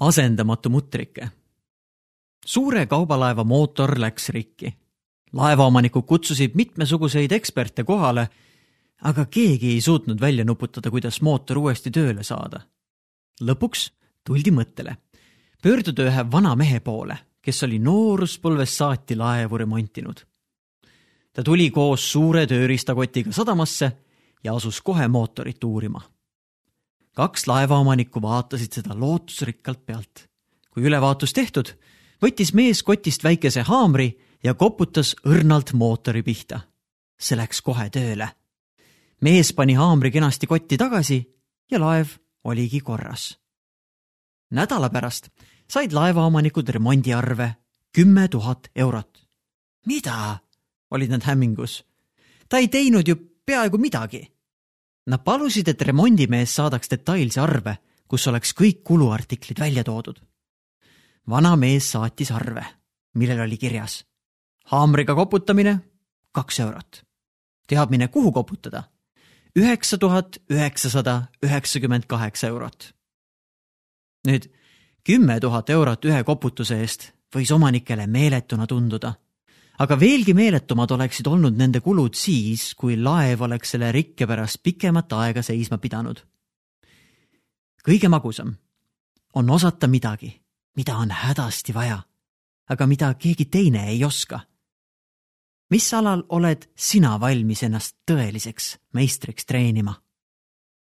Asendamatu mutrike. Suure kaubalaeva mootor läks rikki. Laevaomanikud kutsusid mitmesuguseid eksperte kohale, aga keegi ei suutnud välja nuputada, kuidas mootor uuesti tööle saada. Lõpuks tuldi mõttele. Pöörduda ühe vana mehe poole, kes oli nooruspõlvest saati laevu remontinud. Ta tuli koos suure tööriistakotiga sadamasse ja asus kohe mootorit uurima. 2 laevaomanikku vaatasid seda lootusrikkalt pealt. Kui ülevaatus tehtud, võttis mees kotist väikese haamri ja koputas õrnalt mootori pihta. See läks kohe tööle. Mees pani haamri kenasti kotti tagasi ja laev oligi korras. Nädala pärast said laevaomanikud remondiarve 10 000 eurot. Mida? Olid nad hämmingus. Ta ei teinud ju peaaegu midagi. Nad palusid, et remondimees saadaks detailse arve, kus oleks kõik kuluartiklid välja toodud. Vana mees saatis arve, millel oli kirjas. Haamriga koputamine 2 eurot. Teadmine, kuhu koputada? 9998 eurot. Nüüd 10 000 eurot ühe koputuse eest võis omanikele meeletuna tunduda. Aga veelgi meeletumad oleksid olnud nende kulud siis, kui laev oleks selle rikke pärast pikemat aega seisma pidanud. Kõige magusam on osata midagi, mida on hädasti vaja, aga mida keegi teine ei oska. Mis alal oled sina valmis ennast tõeliseks meistriks treenima?